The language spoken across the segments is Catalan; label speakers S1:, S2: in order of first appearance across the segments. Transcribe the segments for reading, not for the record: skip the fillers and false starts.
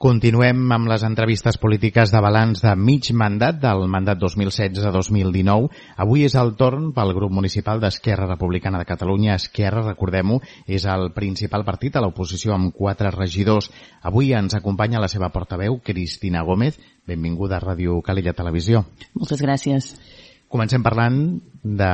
S1: Continuem amb les entrevistes polítiques de balanç de mig mandat, del mandat 2016-2019. Avui és el torn pel grup municipal d'Esquerra Republicana de Catalunya. Esquerra, recordem-ho, és el principal partit a l'oposició amb 4 regidors. Avui ens acompanya la seva portaveu, Cristina Gómez. Benvinguda a Ràdio Calella Televisió.
S2: Moltes gràcies.
S1: Comencem parlant de,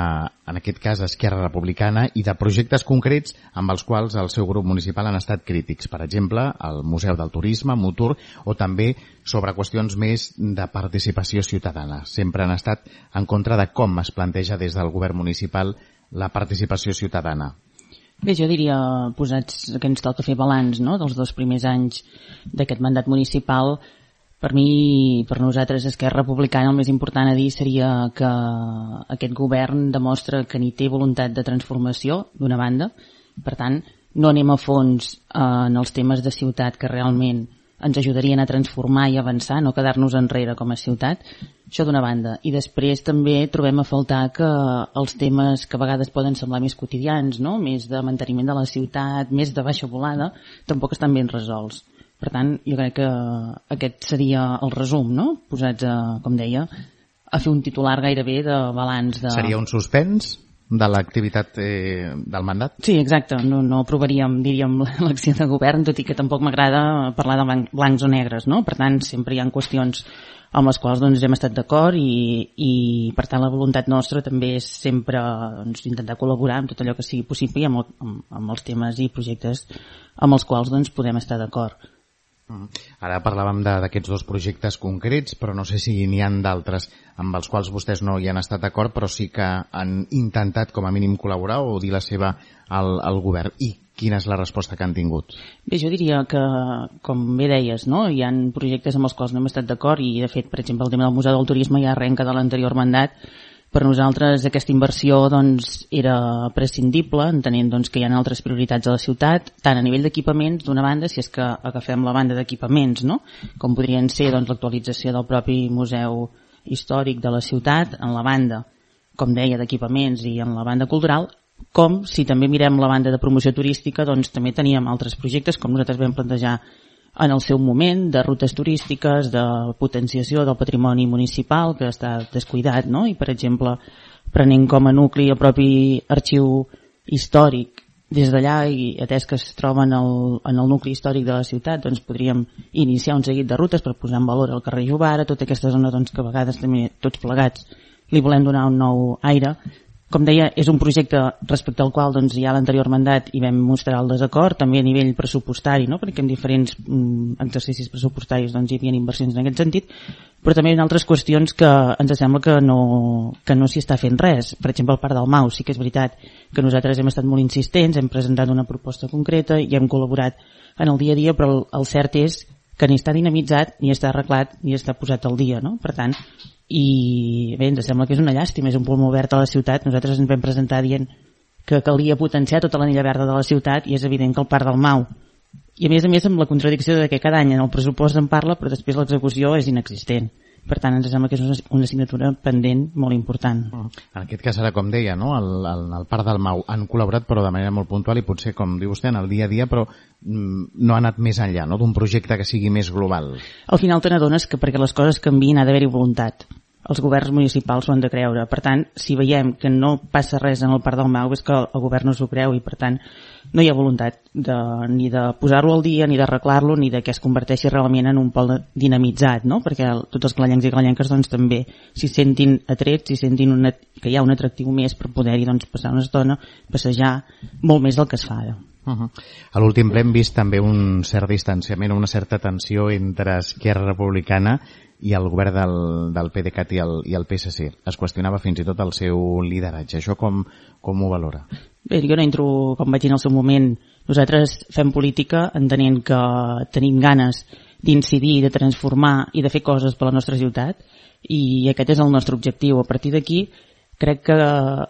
S1: en aquest cas, Esquerra Republicana i de projectes concrets amb els quals el seu grup municipal han estat crítics. Per exemple, el Museu del Turisme, Mutur, o també sobre qüestions més de participació ciutadana. Sempre han estat en contra de com es planteja des del govern municipal la participació ciutadana.
S2: Bé, jo diria, posats que ens toca fer balanç, no?, dels 2 primers anys d'aquest mandat municipal. Per mi, per nosaltres, Esquerra Republicana, el més important a dir seria que aquest govern demostra que ni té voluntat de transformació, d'una banda. Per tant, no anem a fons en els temes de ciutat que realment ens ajudarien a transformar i avançar, no quedar-nos enrere com a ciutat. Això d'una banda. I després també trobem a faltar que els temes que a vegades poden semblar més quotidians, no?, més de manteniment de la ciutat, més de baixa volada, tampoc estan ben resolts. Per tant, jo crec que aquest seria el resum, no?, posats, com deia, a fer un titular gairebé de balanç.
S1: Seria un suspens de l'activitat del mandat?
S2: Sí, exacte. No aprovaríem, diríem, l'acció de govern, tot i que tampoc m'agrada parlar de blancs o negres, no? Per tant, sempre hi ha qüestions amb les quals doncs, hem estat d'acord i per tant la voluntat nostra també és sempre doncs, intentar col·laborar amb tot allò que sigui possible i amb els temes i projectes amb els quals doncs, podem estar d'acord.
S1: Ara parlàvem d'aquests 2 projectes concrets, però no sé si n'hi ha d'altres amb els quals vostès no hi han estat d'acord, però sí que han intentat com a mínim col·laborar o dir la seva al govern. I quina és la resposta que han tingut?
S2: Bé, jo diria que, com bé deies, no?, hi ha projectes amb els quals no hem estat d'acord i, de fet, per exemple, el tema del Museu del Turisme ja arrenca de l'anterior mandat. Per nosaltres aquesta inversió doncs, era prescindible, entenent doncs, que hi ha altres prioritats a la ciutat, tant a nivell d'equipaments, d'una banda, si és que agafem la banda d'equipaments, no?, com podrien ser doncs, l'actualització del propi museu històric de la ciutat, en la banda, com deia, d'equipaments i en la banda cultural, com si també mirem la banda de promoció turística, doncs també teníem altres projectes, com nosaltres vam plantejar en el seu moment, de rutes turístiques, de potenciació del patrimoni municipal, que està descuidat, no?, i, per exemple, prenent com a nucli el propi arxiu històric des d'allà i atès que es troba en el nucli històric de la ciutat, doncs podríem iniciar un seguit de rutes per posar en valor el carrer Jovara, tota aquesta zona doncs, que a vegades també tots plegats li volem donar un nou aire. Com deia, és un projecte respecte al qual doncs, ja a l'anterior mandat hi vam mostrar el desacord, també a nivell pressupostari, no?, perquè en diferents exercicis pressupostaris doncs, hi havia inversions en aquest sentit, però també hi ha altres qüestions que ens sembla que no s'hi està fent res. Per exemple, el Parc del Mau, sí que és veritat que nosaltres hem estat molt insistents, hem presentat una proposta concreta i hem col·laborat en el dia a dia, però el cert és que ni està dinamitzat, ni està arreglat, ni està posat al dia, no? Per tant, i bé, ens sembla que és una llàstima, és un pulmó verd a la ciutat. Nosaltres ens vam presentar dient que calia potenciar tota l'anella verda de la ciutat i és evident que el Parc del Mau, i a més amb la contradicció de que cada any en el pressupost en parla però després l'execució és inexistent. Per tant, ens sembla que és una assignatura pendent molt important.
S1: En aquest cas, ara, com deia, no?, el Parc del Mau han col·laborat però de manera molt puntual i potser, com diu vostè, en el dia a dia, però no ha anat més enllà, no?, d'un projecte que sigui més global.
S2: Al final te n'adones que perquè les coses canviïn ha d'haver-hi voluntat. Els governs municipals ho han de creure. Per tant, si veiem que no passa res en el Parc del Mau és que el govern no s'ho creu i per tant no hi ha voluntat ni de posar-lo al dia, ni d'arreglar-lo, ni de que es converteixi realment en un pol dinamitzat, no?, perquè tots els calallencs i calallenques doncs, també s'hi sentin atrets, s'hi sentin que hi ha un atractiu més per poder-hi doncs, passar una estona, passejar molt més del que es fa ara.
S1: A l'últim ple hem vist també un cert distanciament, una certa tensió entre Esquerra Republicana i el govern del PDeCAT i el PSC. Es qüestionava fins i tot el seu lideratge. Això com ho valora?
S2: Bé, jo no entro, com vaig dir en el seu moment, nosaltres fem política entenent que tenim ganes d'incidir, de transformar i de fer coses per la nostra ciutat i aquest és el nostre objectiu. A partir d'aquí crec que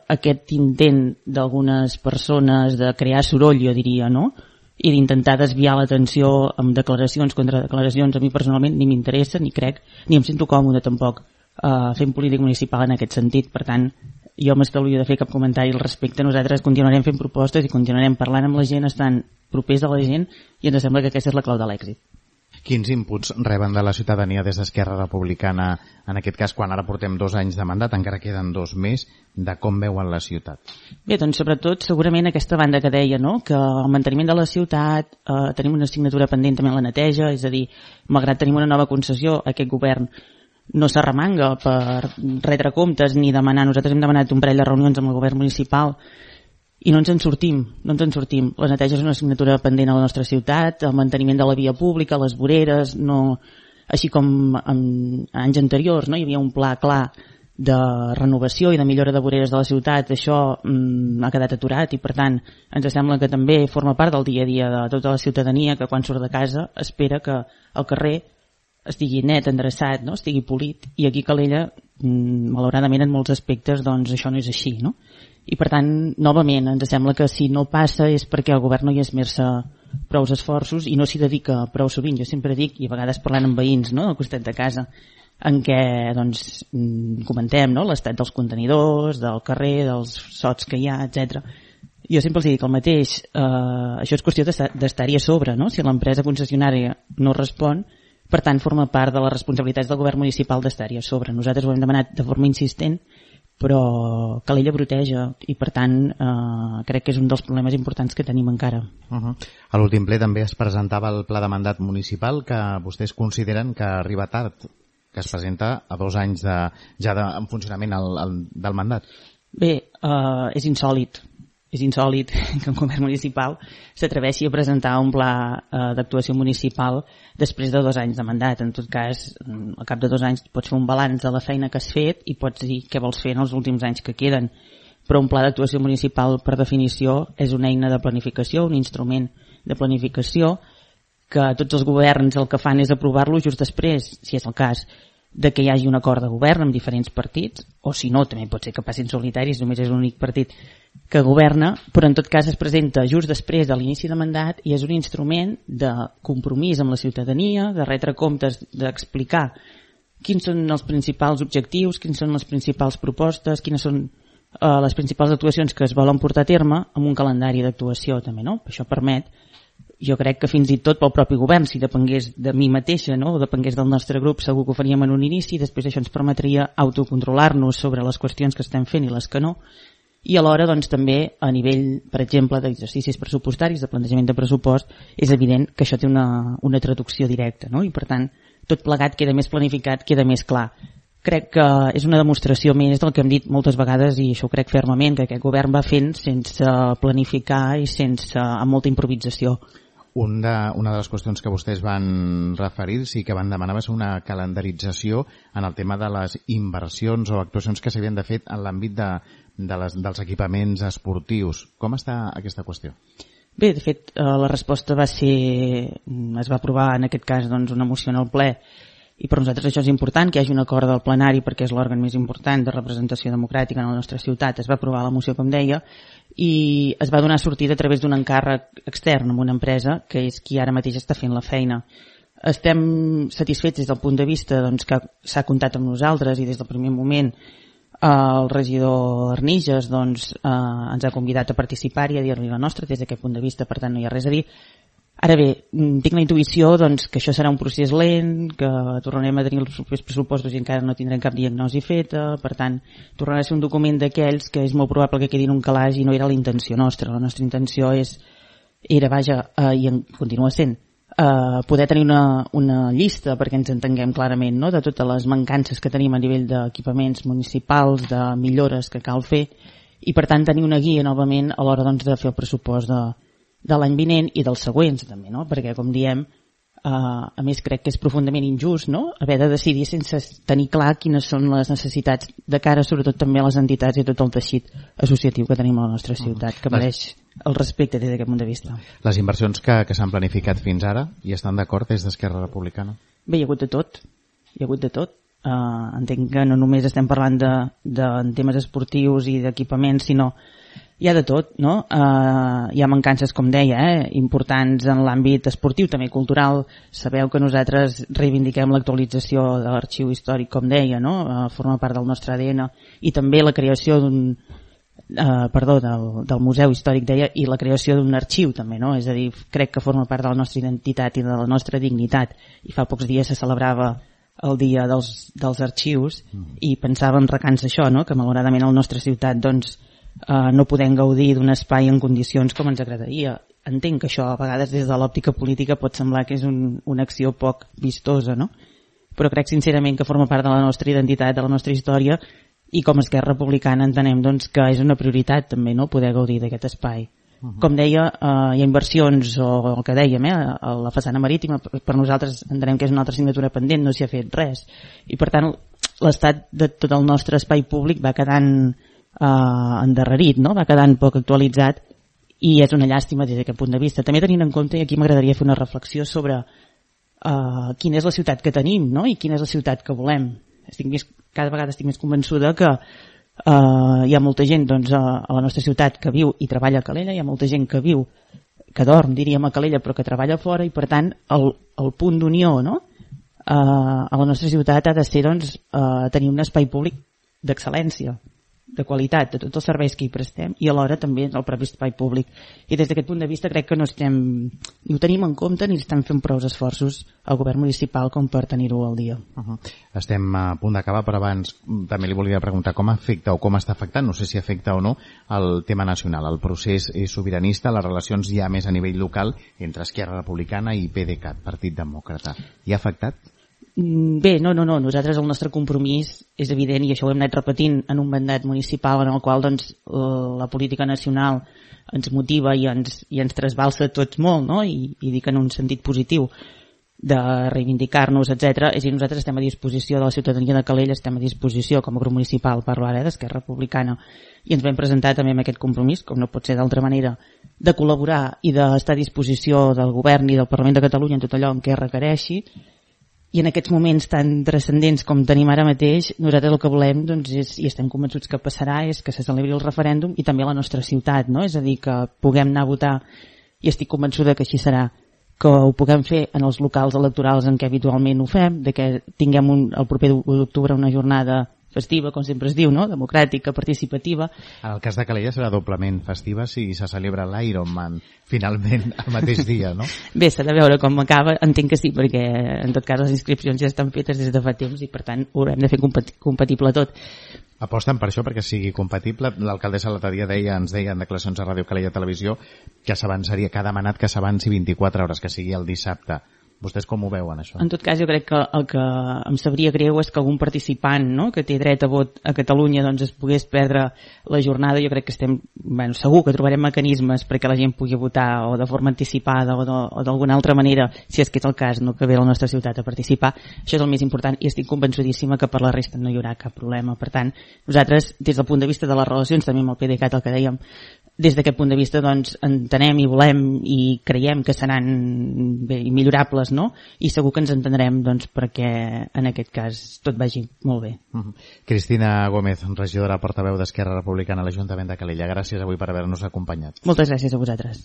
S2: aquest intent d'algunes persones de crear soroll, jo diria, no?, i d'intentar desviar l'atenció amb declaracions contra declaracions, a mi personalment ni m'interessa, ni crec, ni em sento còmode tampoc fent política municipal en aquest sentit. Per tant, jo m'estalvio de fer cap comentari al respecte. Nosaltres continuarem fent propostes i continuarem parlant amb la gent, estant propers a la gent, i ens sembla que aquesta és la clau de l'èxit.
S1: Quins inputs reben de la ciutadania des d'Esquerra Republicana, en aquest cas, quan ara portem 2 anys de mandat, encara queden 2 més, de com veuen la ciutat?
S2: Bé, doncs sobretot segurament aquesta banda que deia, no?, que el manteniment de la ciutat, tenim una assignatura pendent també en la neteja, és a dir, malgrat tenim una nova concessió, aquest govern no s'arremanga per retre comptes ni demanar. Nosaltres hem demanat un parell de reunions amb el govern municipal i no ens en sortim. La neteja és una assignatura pendent a la nostra ciutat, el manteniment de la via pública, les voreres, no, així com en anys anteriors, no? Hi havia un pla clar de renovació i de millora de voreres de la ciutat. Això ha quedat aturat i, per tant, ens sembla que també forma part del dia a dia de tota la ciutadania, que quan surt de casa espera que el carrer estigui net, endreçat, no?, estigui polit, i aquí a Calella, malauradament en molts aspectes, doncs això no és així, no? I per tant, novament, ens sembla que si no passa és perquè el govern no hi esmerça prou esforços i no s'hi dedica prou sovint. Jo sempre dic, i a vegades parlant amb veïns, no?, al costat de casa, en què doncs, comentem, no?, l'estat dels contenidors, del carrer, dels sots que hi ha, etc. Jo sempre els dic el mateix, això és qüestió d'estar-hi a sobre, no? Si l'empresa concessionària no respon, per tant forma part de les responsabilitats del govern municipal d'estar-hi a sobre. Nosaltres ho hem demanat de forma insistent, però Calella broteja i, per tant, crec que és un dels problemes importants que tenim encara.
S1: A l'últim ple també es presentava el pla de mandat municipal, que vostès consideren que arriba tard, que es presenta a 2 anys en funcionament del mandat.
S2: Bé, és insòlit que un govern municipal s'atreveixi a presentar un pla d'actuació municipal després de 2 anys de mandat. En tot cas, al cap de 2 anys pots fer un balanç de la feina que has fet i pots dir què vols fer en els últims anys que queden. Però un pla d'actuació municipal, per definició, és una eina de planificació, un instrument de planificació que tots els governs el que fan és aprovar-lo just després, si és el cas, de que hi hagi un acord de govern amb diferents partits, o si no, també pot ser que passin solitaris, només és l'únic partit que governa, però en tot cas es presenta just després de l'inici de mandat i és un instrument de compromís amb la ciutadania, de retre comptes, d'explicar quins són els principals objectius, quines són les principals propostes, quines són les principals actuacions que es volen portar a terme amb un calendari d'actuació també, no? Això permet, jo crec que fins i tot pel propi govern, si depengués de mi mateixa, no?, o depengués del nostre grup, segur que ho faríem en un inici, i després això ens permetria autocontrolar-nos sobre les qüestions que estem fent i les que no, i alhora doncs, també a nivell, per exemple, d'exercicis pressupostaris, de plantejament de pressupost, és evident que això té una traducció directa, no? I per tant, tot plegat queda més planificat, queda més clar. Crec que és una demostració més del que hem dit moltes vegades, i això ho crec fermament, que aquest govern va fent sense planificar i amb molta improvisació.
S1: Una de les qüestions que vostès van referir-se i que van demanar va ser una calendarització en el tema de les inversions o actuacions que s'havien de fer en l'àmbit dels equipaments esportius. Com està aquesta qüestió?
S2: Bé, de fet, la resposta es va aprovar en aquest cas doncs, una moció en el ple, i per nosaltres això és important, que hi hagi un acord del plenari perquè és l'òrgan més important de representació democràtica en la nostra ciutat. Es va aprovar la moció, com deia, i es va donar sortida a través d'un encàrrec extern amb una empresa que és qui ara mateix està fent la feina. Estem satisfets des del punt de vista doncs, que s'ha comptat amb nosaltres i des del primer moment el regidor Arniges doncs, ens ha convidat a participar i a dir-li la nostra des d'aquest punt de vista, per tant no hi ha res a dir. Ara bé, tinc la intuïció doncs, que això serà un procés lent, que tornarem a tenir els propers pressupostos i encara no tindrem cap diagnosi feta, per tant, tornarà a ser un document d'aquells que és molt probable que quedi en un calaix i no era la intenció nostra. La nostra intenció i continua sent, poder tenir una llista perquè ens entenguem clarament, no?, de totes les mancances que tenim a nivell d'equipaments municipals, de millores que cal fer, i per tant tenir una guia novament a l'hora doncs, de fer el pressupost de l'any vinent i dels següents també, no? Perquè com diem, a més crec que és profundament injust, no?, haver de decidir sense tenir clar quines són les necessitats de cara sobretot també a les entitats i a tot el teixit associatiu que tenim a la nostra ciutat, que mereix el respecte des d'aquest punt de vista.
S1: Les inversions que s'han planificat fins ara, hi estan d'acord des d'Esquerra Republicana?
S2: Bé, hi ha hagut de tot. Entenc que no només estem parlant de temes esportius i d'equipaments, sinó hi ha de tot, no? Hi ha mancances, com deia, importants en l'àmbit esportiu, també cultural. Sabeu que nosaltres reivindiquem l'actualització de l'arxiu històric, com deia, no? Forma part del nostre ADN, i també la creació del Museu Històric, deia, i la creació d'un arxiu també, no? És a dir, crec que forma part de la nostra identitat i de la nostra dignitat, i fa pocs dies se celebrava el dia dels arxius i pensava en recança això, no? Que malauradament a la nostra ciutat doncs, no podem gaudir d'un espai en condicions com ens agradaria. Entenc que això a vegades des de l'òptica política pot semblar que és una acció poc vistosa, no? Però crec sincerament que forma part de la nostra identitat, de la nostra història, i com a Esquerra Republicana entenem doncs, que és una prioritat també, no?, poder gaudir d'aquest espai. Com deia, hi ha inversions, o el que dèiem, a la façana marítima, per nosaltres entenem que és una altra assignatura pendent, no s'hi ha fet res. I per tant, l'estat de tot el nostre espai públic va quedant endarrerit, no?, va quedant poc actualitzat, i és una llàstima des d'aquest punt de vista. També tenint en compte, i aquí m'agradaria fer una reflexió sobre quina és la ciutat que tenim, no?, i quina és la ciutat que volem. Cada vegada estic més convençuda que hi ha molta gent doncs, a la nostra ciutat que viu i treballa a Calella, hi ha molta gent que viu, que dorm, diríem, a Calella, però que treballa fora, i per tant el punt d'unió, no?, a la nostra ciutat ha de ser doncs, tenir un espai públic d'excel·lència, de qualitat, de tots els serveis que hi prestem, i alhora també el propi espai públic. I des d'aquest punt de vista crec que ni ho tenim en compte ni estem fent prou esforços al govern municipal com per tenir-ho al dia.
S1: Estem a punt d'acabar, però abans també li volia preguntar com afecta o com està afectant, no sé si afecta o no, el tema nacional, el procés sobiranista, les relacions ja més a nivell local entre Esquerra Republicana i PDeCAT, Partit Demòcrata. Hi ha afectat?
S2: Bé, no. Nosaltres el nostre compromís és evident, i això ho hem anat repetint en un mandat municipal en el qual doncs, la política nacional ens motiva i ens trasbalsa tots molt, no? I dic en un sentit positiu de reivindicar-nos, etc. És a dir, nosaltres estem a disposició de la ciutadania de Calella, estem a disposició com a grup municipal, parlo ara d'Esquerra Republicana, i ens vam presentar també amb aquest compromís, com no pot ser d'altra manera, de col·laborar i d'estar a disposició del govern i del Parlament de Catalunya en tot allò en què requereixi. I en aquests moments tan transcendents com tenim ara mateix, nosaltres el que volem doncs, i estem convençuts que passarà, és que se celebri el referèndum i també a la nostra ciutat, no? És a dir, que puguem anar a votar, i estic convençuda que així serà, que ho puguem fer en els locals electorals en què habitualment ho fem, de que tinguem el proper 1 d'octubre una jornada festiva, com sempre es diu, no?, democràtica, participativa.
S1: En el cas de Calella serà doblement festiva si se celebra l'Ironman finalment el mateix dia, no?
S2: Bé, s'ha de veure com acaba, entenc que sí, perquè en tot cas les inscripcions ja estan fetes des de fa temps i per tant ho haurem de fer compatible tot.
S1: Aposten per això, perquè sigui compatible. L'alcaldessa l'altre dia ens deia en declaracions a Ràdio Calella Televisió que s'avançaria, que ha demanat que s'avanci 24 hores, que sigui el dissabte. Vostès com ho veuen, això?
S2: En tot cas, jo crec que el que em sabria greu és que algun participant, no?, que té dret a vot a Catalunya doncs es pogués perdre la jornada. Jo crec que segur que trobarem mecanismes perquè la gent pugui votar o de forma anticipada o d'alguna altra manera, si és que és el cas, no?, que ve a la nostra ciutat a participar. Això és el més important i estic convençudíssima que per la resta no hi haurà cap problema. Per tant, nosaltres, des del punt de vista de les relacions, també amb el PDeCAT, el que dèiem, des d'aquest punt de vista doncs, entenem i volem i creiem que seran bé, millorables, no? I segur que ens entendrem doncs, perquè en aquest cas tot vagi molt bé.
S1: Cristina Gómez, regidora portaveu d'Esquerra Republicana a l'Ajuntament de Calella, gràcies avui per haver-nos acompanyat.
S2: Moltes gràcies a vosaltres.